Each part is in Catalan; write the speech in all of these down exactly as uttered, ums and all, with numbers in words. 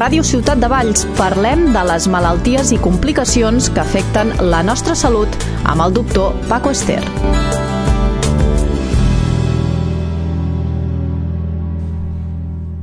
Ràdio Ciutat de Valls parlem de les malalties i complicacions que afecten la nostra salut amb el doctor Paco Ester.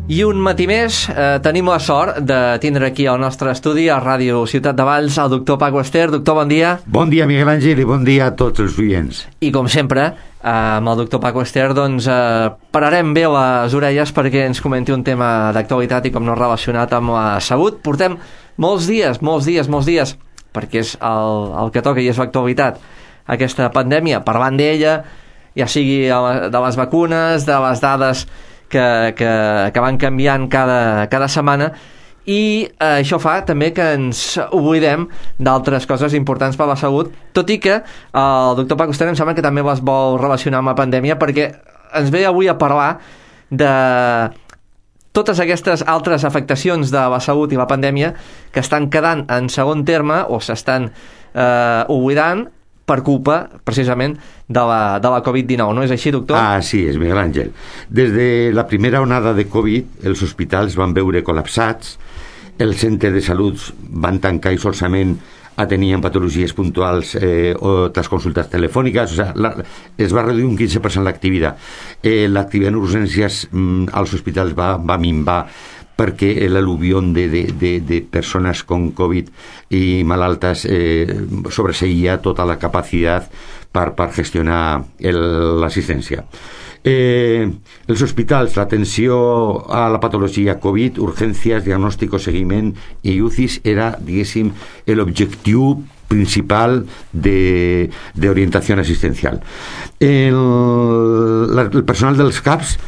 I un matí més eh, tenim la sort de tindre aquí al nostre estudi a Ràdio Ciutat de Valls el doctor Paco Ester. Doctor, bon dia. Bon dia, Miguel Àngel, i bon dia a tots els oients. I com sempre, eh, amb el doctor Paco Ester, doncs eh, pararem bé les orelles perquè ens comenti un tema d'actualitat i com no relacionat amb la salut. Portem molts dies, molts dies, molts dies, perquè és el, el que toca i és l'actualitat, aquesta pandèmia, parlant d'ella, ja sigui de les vacunes, de les dades que, que, que van canviant cada, cada setmana, i eh, això fa també que ens oblidem d'altres coses importants per a la salut, tot i que eh, el doctor Paco Ester em sembla que també les vol relacionar amb la pandèmia, perquè ens ve avui a parlar de totes aquestes altres afectacions de la salut i la pandèmia que estan quedant en segon terme o s'estan eh, oblidant per culpa, precisament, de la, de la covid dinou. No és així, doctor? Ah, sí, és Miguel Àngel. Des de la primera onada de Covid, els hospitals van veure col·lapsats, els centres de salut van tancar i solament atenien patologies puntuals eh, o les consultes telefòniques, o sigui, la, es va reduir un quinze per cent l'activitat. Eh, l'activitat en urgències mm, als hospitals va, va minvar perquè l'al·luvión de, de, de, de persones con Covid i malaltes eh, sobreseïa tota la capacitat per, per gestionar l'assistència. Eh, els hospitals, l'atenció a la patologia Covid, urgències, diagnòstic, seguiment i U C Is era, diguéssim, l'objectiu principal de, de orientació assistencial. El, la, el personal dels C A Ps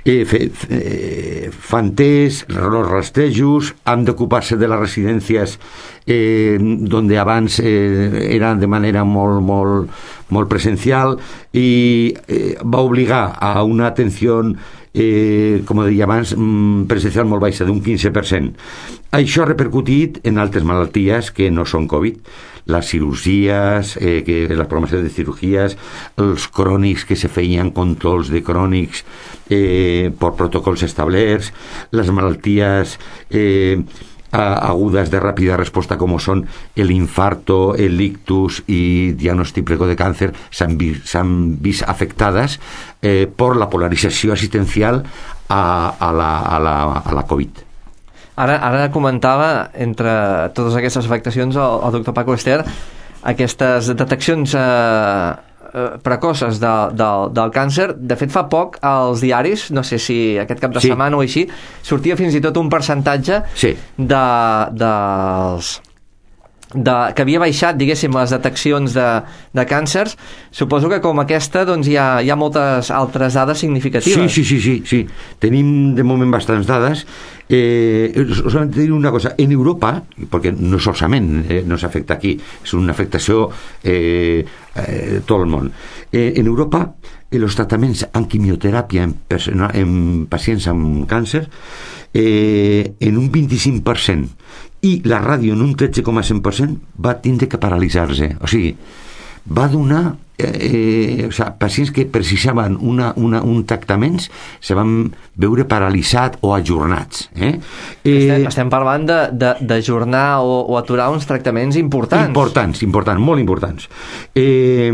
Eh, fe, eh, fan test, els rastejos, han d'ocupar-se de les residències eh, donde abans eh, eren de manera molt, molt, molt presencial i eh, va obligar a una atenció eh, com deia abans, presencial molt baixa, d'un quinze per cent. Això ha repercutit en altres malalties que no són Covid, les cirurgies, eh, que, la programació de cirurgies, els crònics que se feien controls de crònics eh, per protocols establerts, les malalties eh, agudes de ràpida resposta com són l'infarto, el ictus i diagnòstic precoç de càncer s'han vist, s'han vist afectades eh, per la polarització assistencial a, a, la, a, la, a la Covid. Ara, ara comentava, entre totes aquestes afectacions, el, el doctor Paco Ester, aquestes deteccions eh, eh, precoces de, de, del càncer. De fet, fa poc, als diaris, no sé si aquest cap de sí. setmana o així, sortia fins i tot un percentatge sí. de, dels... De, que havia baixat, diguéssim, les deteccions de, de càncers. Suposo que com aquesta doncs, hi, ha, hi ha moltes altres dades significatives. Sí, sí, sí, sí, sí. Tenim de moment bastants dades. Eh, solament dir una cosa, en Europa, perquè no solament eh, no s'afecta aquí, és una afectació eh, eh, tot el món. Eh, en Europa, els tractaments amb quimioteràpia en, persona, en pacients amb càncer eh, en un vint-i-cinc per cent i la ràdio en un tretze coma cinc per cent va tindre que paralitzar-se. O sigui, va donar eh, o sigui, pacients que precisaven una, una, un tractaments se van veure paralitzats o ajornats. Eh? Eh, estem, estem parlant d'ajornar o, o aturar uns tractaments importants. Importants, importants, molt importants. Eh,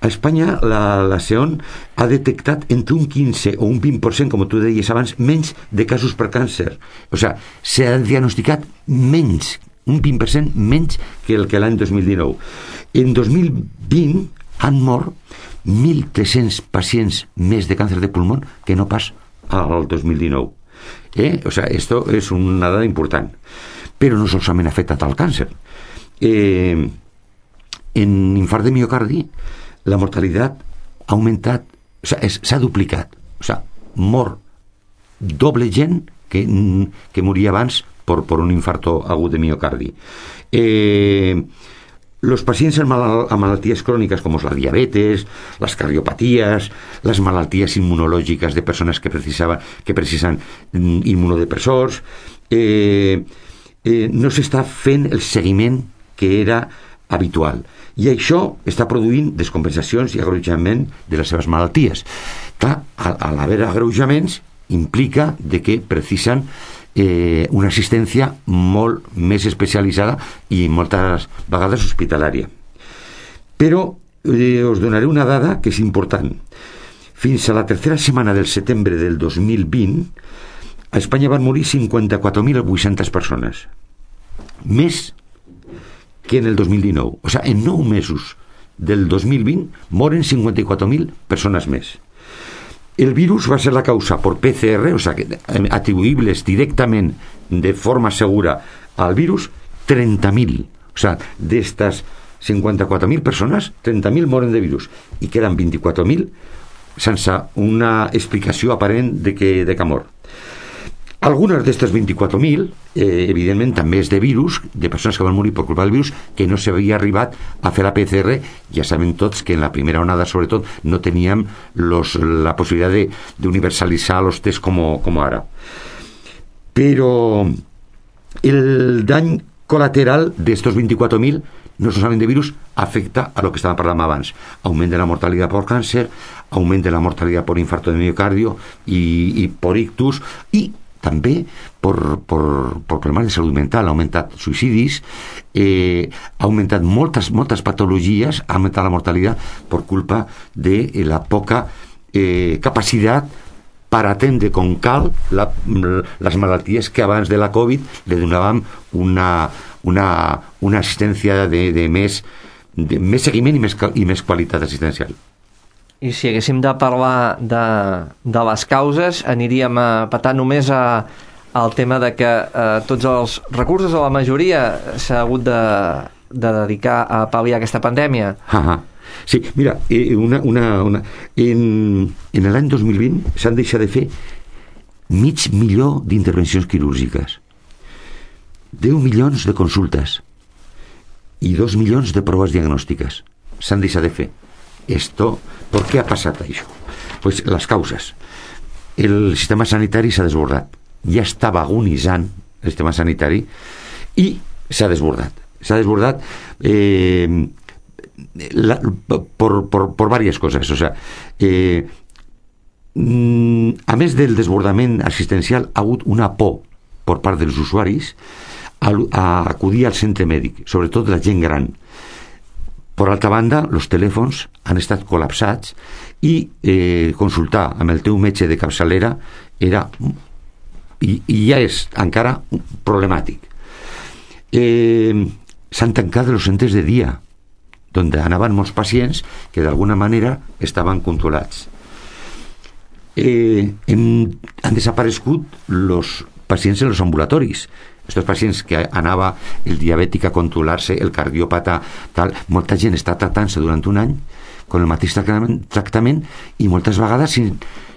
a Espanya la, la SEON ha detectat entre un quinze o un vint per cent, com tu deies abans, menys de casos per càncer. O sigui, s'ha diagnosticat menys, un vint per cent menys que el que l'any dos mil dinou. En dos mil vint han mort mil tres-cents pacients més de càncer de pulmó que no pas al dos mil dinou. Eh? O sigui, esto és una dada important. Però no solament ha afectat al càncer. Eh, en infart de miocardi la mortalitat ha augmentat, o sigui, s'ha duplicat. O sigui, mor doble gent que, que moria abans per, per un infarto agut de miocardi. Eh, los pacients amb, mal, amb malalties cròniques com la diabetes, les cardiopaties, les malalties immunològiques de persones que precisaven, que precisen immunodepressors, eh, eh, no s'està fent el seguiment que era habitual. I això està produint descompensacions i agreujament de les seves malalties. Clar, a, a l'haver agreujaments implica de que precisen eh, una assistència molt més especialitzada i moltes vegades hospitalària. Però eh, us donaré una dada que és important. Fins a la tercera setmana del setembre del dos mil vint, a Espanya van morir cinquanta-quatre mil vuit-centes persones. Més que en el dos mil dinou. O sigui, en nou mesos del dos mil vint moren cinquanta-quatre mil persones més. El virus va ser la causa por P C R, o sigui, atribuïbles directament de forma segura al virus, trenta mil. O sigui, d'estes cinquanta-quatre mil persones, trenta mil moren de virus i queden vint-i-quatre mil sense una explicació aparent de que, de que mor. Algunes d'aquestes vint-i-quatre mil, eh, evidentment, també és de virus, de persones que van morir per culpa del virus, que no s'havia arribat a fer la P C R. Ja sabem tots que en la primera onada, sobretot, no teníem los, la possibilitat d'universalitzar els tests com, com ara. Però el dany colateral d'estos vint-i-quatre mil, no solament de virus, afecta a lo que estàvem parlant abans. Augment de la mortalitat per càncer, augment de la mortalitat per infarto de miocardio i, i per ictus, i també per, per, per problemes de salut mental. Ha augmentat suïcidis, eh, ha augmentat moltes, moltes patologies, ha augmentat la mortalitat per culpa de la poca eh, capacitat per atendre com cal la, les malalties que abans de la Covid li donàvem una, una, una assistència de, de, més, de més seguiment i més, i més qualitat assistencial. I si haguéssim de parlar de, de les causes, aniríem a petar només a, al tema de que eh, tots els recursos, o la majoria, s'ha hagut de, de dedicar a pal·liar aquesta pandèmia. Ah, sí, mira, eh, una, una, una, en, en l'any dos mil vint s'han deixat de fer mig milió d'intervencions quirúrgiques, deu milions de consultes i dos milions de proves diagnòstiques. S'han deixat de fer. Esto, ¿por qué ha pasado eso? Pues las causas. El sistema sanitari s'ha desbordat. Ja estava agonitzant el sistema sanitari i s'ha desbordat. S'ha desbordat eh, la, por, por, por varias cosas. O sea, eh, a més del desbordament assistencial, ha hagut una por per part dels usuaris a, a acudir al centre mèdic, sobretot la gent gran. Per altra banda, els telèfons han estat col·lapsats i eh, consultar amb el teu metge de capçalera era i, i ja és encara problemàtic. Eh, s'han tancat els centres de dia, on anaven molts pacients que d'alguna manera estaven controlats. Eh, hem, han desaparegut els pacients en els ambulatoris. Estos pacients que anava el diabètic a controlar-se, el cardiòpata, tal, molta gent està tratant-se durant un any amb el mateix tractament i moltes vegades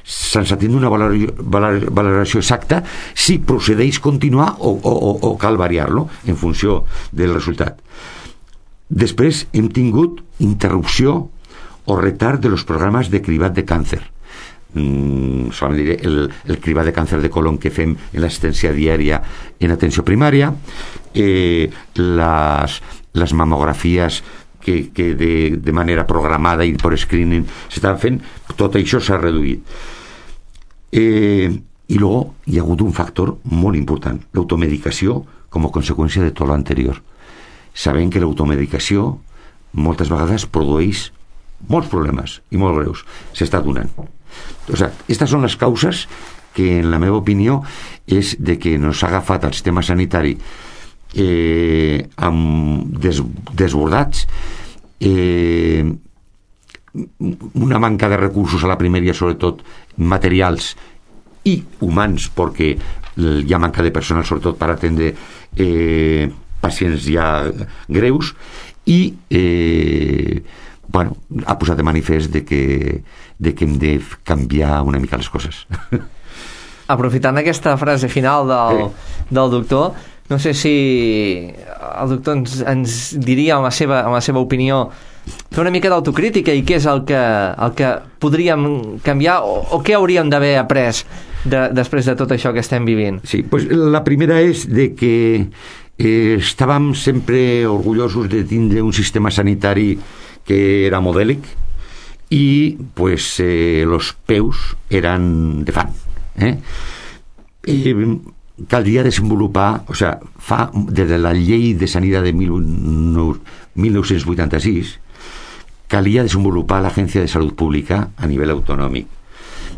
sense tenir una valoració exacta si procedeix continuar o, o, o cal variar-lo en funció del resultat. Després hem tingut interrupció o retard de los programes de cribat de càncer. Mm, solament diré el, el cribat de càncer de colon que fem en l'assistència diària en atenció primària, eh, les, les mamografies que, que de, de manera programada i per screening s'estan fent, tot això s'ha reduït. Eh, i luego hi ha hagut un factor molt important, l'automedicació com a conseqüència de tot l'anterior. Sabem que l'automedicació moltes vegades produeix molts problemes i molt greus, s'està donant. O sea, estas son las causas que en la meva opinió és de que nos ha agafat el sistema sanitari eh, amb des, desbordats, eh, una manca de recursos a la primària, sobretot materials i humans, perquè hi ha manca de personal sobretot per atendre eh, pacients ja greus i eh, bueno, ha posat de manifest de que, de que hem de canviar una mica les coses. Aprofitant aquesta frase final del, eh. del doctor, no sé si el doctor ens, ens diria en la, seva, en la seva opinió fer una mica d'autocrítica i què és el que, el que podríem canviar o, o què hauríem d'haver après de, després de tot això que estem vivint. Sí, pues la primera és de que eh, estàvem sempre orgullosos de tindre un sistema sanitari que era modèlic i pues eh, los peus eran de fan, eh? Eh, caldria desenvolupar, o sea, fa, des de la llei de sanitat de mil nou-cents vuitanta-sis, calia desenvolupar l'Agència de Salut Pública a nivell autonòmic.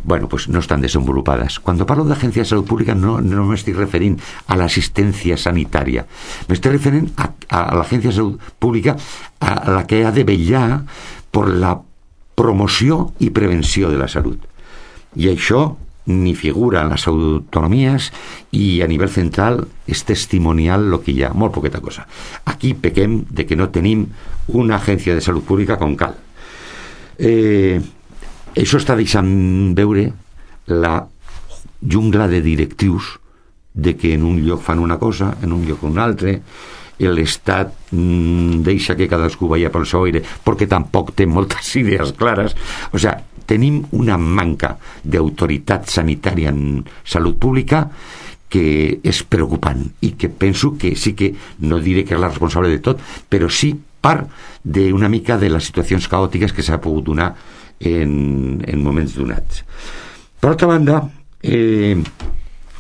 Bueno, pues no estan desenvolupades. Cuando parlo de Agencia de Salud Pública no, no me estoy refiriendo a la asistencia sanitaria, me estoy refiriendo a, a la Agencia de Salud Pública a la que ha de vetllar por la promoció i prevenció de la salut. I això ni figura en les autonomies i a nivell central és testimonial el que hi ha, molt poqueta cosa. Aquí pequem de que no tenim una agència de salut pública com cal. Eh... Això està deixant veure la jungla de directius de que en un lloc fan una cosa, en un lloc un altre, l'Estat mmm, deixa que cadascú vaya pel seu aire perquè tampoc té moltes idees clares. O sigui, tenim una manca d'autoritat sanitària en salut pública que és preocupant i que penso que sí que, no diré que és la responsable de tot, però sí part d'una mica de les situacions caòtiques que s'ha pogut donar En, en moments donats. Per altra banda, eh,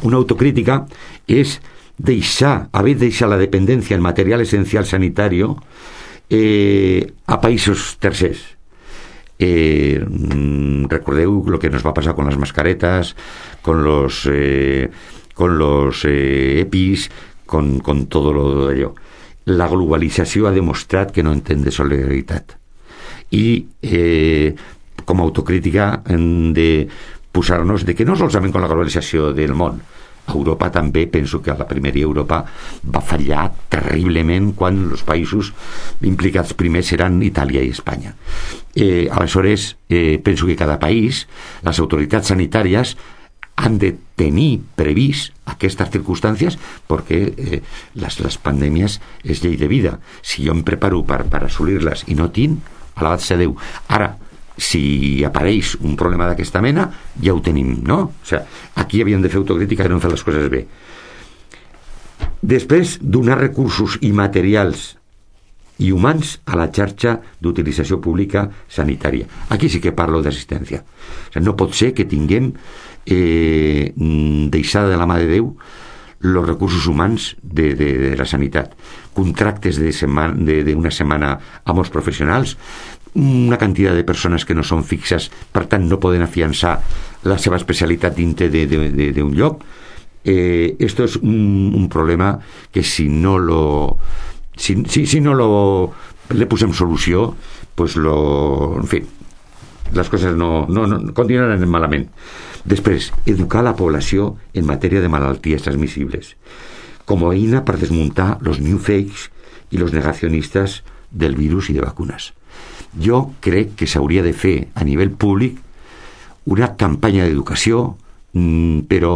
una autocrítica és deixar, haver deixat la dependència en material essencial sanitari eh, a països tercers. Eh, recordeu lo que nos va pasar con las mascaretas, con los eh, con los eh, EPIs, con, con todo lo d'allò. La globalització ha demostrat que no entén de solidaritat. I eh, com a autocrítica hem de posar-nos de que no solament con la globalització del món, Europa també, penso que a la primera Europa va fallar terriblement quan els països implicats primers eren Itàlia i Espanya. Eh, aleshores, eh, penso que cada país, les autoritats sanitàries han de tenir previst aquestes circumstàncies perquè eh, les, les pandèmies és llei de vida. Si jo em preparo per, per assolir-les i no tinc, alabat ser Déu. Ara, si apareix un problema d'aquesta mena, ja ho tenim, no? O sigui, aquí havíem de fer autocrítica i no hem fet les coses bé. Després, donar recursos i materials i humans a la xarxa d'utilització pública sanitària. Aquí sí que parlo d'assistència. O sigui, no pot ser que tinguem eh, deixada de la mà de Déu els recursos humans de, de, de la sanitat. Contractes de setmana, de, de una setmana amb els professionals, una quantitat de persones que no són fixes, per tant no poden afiançar la seva especialitat dintre d'un lloc. Eh, esto es un, un problema que si no lo si, si, si no lo le posem solució, pues lo, en fi, les coses no, no, no continuaran malament. Després, educar la població en matèria de malalties transmissibles com a eina per desmuntar los new fakes i los negacionistes del virus i de vacunes. Jo crec que s'hauria de fer a nivell públic una campanya d'educació, però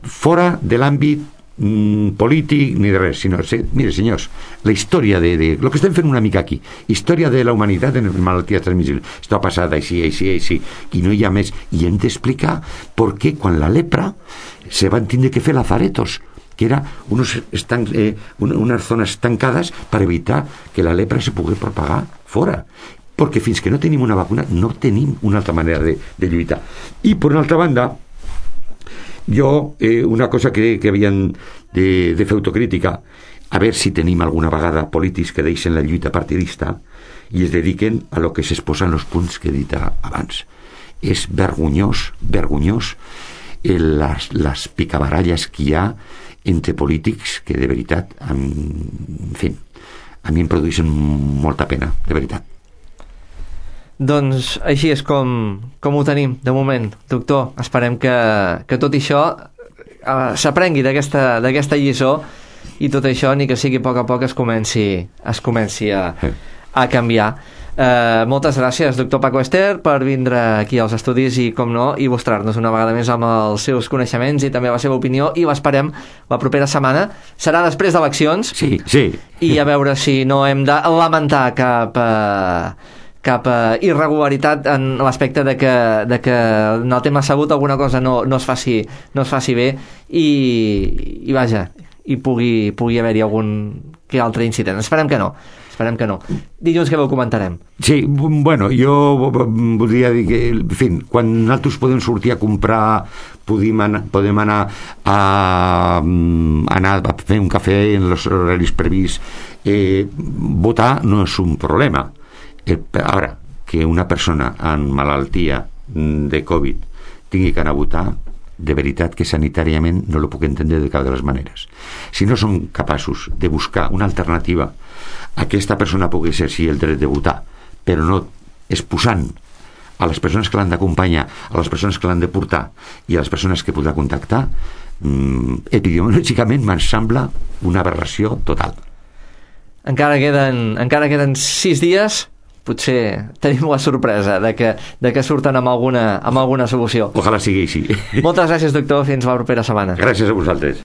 fora de l'àmbit mm, polític ni de res, sinó, se, mire senyors, la història de, de lo que estem fent una mica aquí, història de la humanitat en malalties transmissibles, esto ha passat així, així, així, i no hi ha més, i hem d'explicar per què quan la lepra se van tindre que fer lazaretos, que era unos estan, eh, unes zones tancades per evitar que la lepra se pugui propagar fora, perquè fins que no tenim una vacuna no tenim una altra manera de, de lluitar. I per una altra banda, jo eh, una cosa que, que havien de, de fer autocrítica, a veure si tenim alguna vegada polítics que deixen la lluita partidista i es dediquen a lo que s'exposen els punts que he dit abans. És vergonyós, vergonyós eh, les, les picabaralles que hi ha entre polítics que de veritat en, en fi, a mi em produeixen molta pena, de veritat. Doncs així és com, com ho tenim de moment, doctor. Esperem que, que tot això eh, s'aprengui d'aquesta d'aquesta lliçó i tot això, ni que sigui a poc a poc, es comenci, es comenci a, a canviar. Eh, moltes gràcies, doctor Paco Ester, per vindre aquí als estudis i, com no, i mostrar-nos una vegada més amb els seus coneixements i també la seva opinió, i l'esperem la propera setmana. Serà després d'eleccions. Sí, sí. I a veure si no hem de lamentar cap... Eh, cap uh, irregularitat en l'aspecte de que, de que en el tema salut alguna cosa no, no, es faci, no es faci bé i, i vaja, i pugui, pugui haver-hi algun que altre incident. Esperem que no. Esperem esperem que no. Dilluns que ho comentarem. Sí, bueno, jo voldria dir que, en fi, quan nosaltres podem sortir a comprar, podem anar, podem anar a, anar a fer un cafè en els horaris prevists, eh, votar no és un problema. El, ara, que una persona amb malaltia de Covid tingui que anar a votar, de veritat que sanitàriament no lo puc entendre de cap de les maneres. Si no som capaços de buscar una alternativa a que aquesta persona pugui exercir el dret de votar, però no exposant a les persones que l'han d'acompanyar, a les persones que l'han de portar i a les persones que podrà contactar, mmm, epidemiològicament me'n sembla una aberració total. Encara queden, encara queden sis dies, potser tenim la sorpresa de que, de que surten amb alguna, amb alguna solució. Ojalà sigui així. Moltes gràcies, doctor. Fins la propera setmana. Gràcies a vosaltres.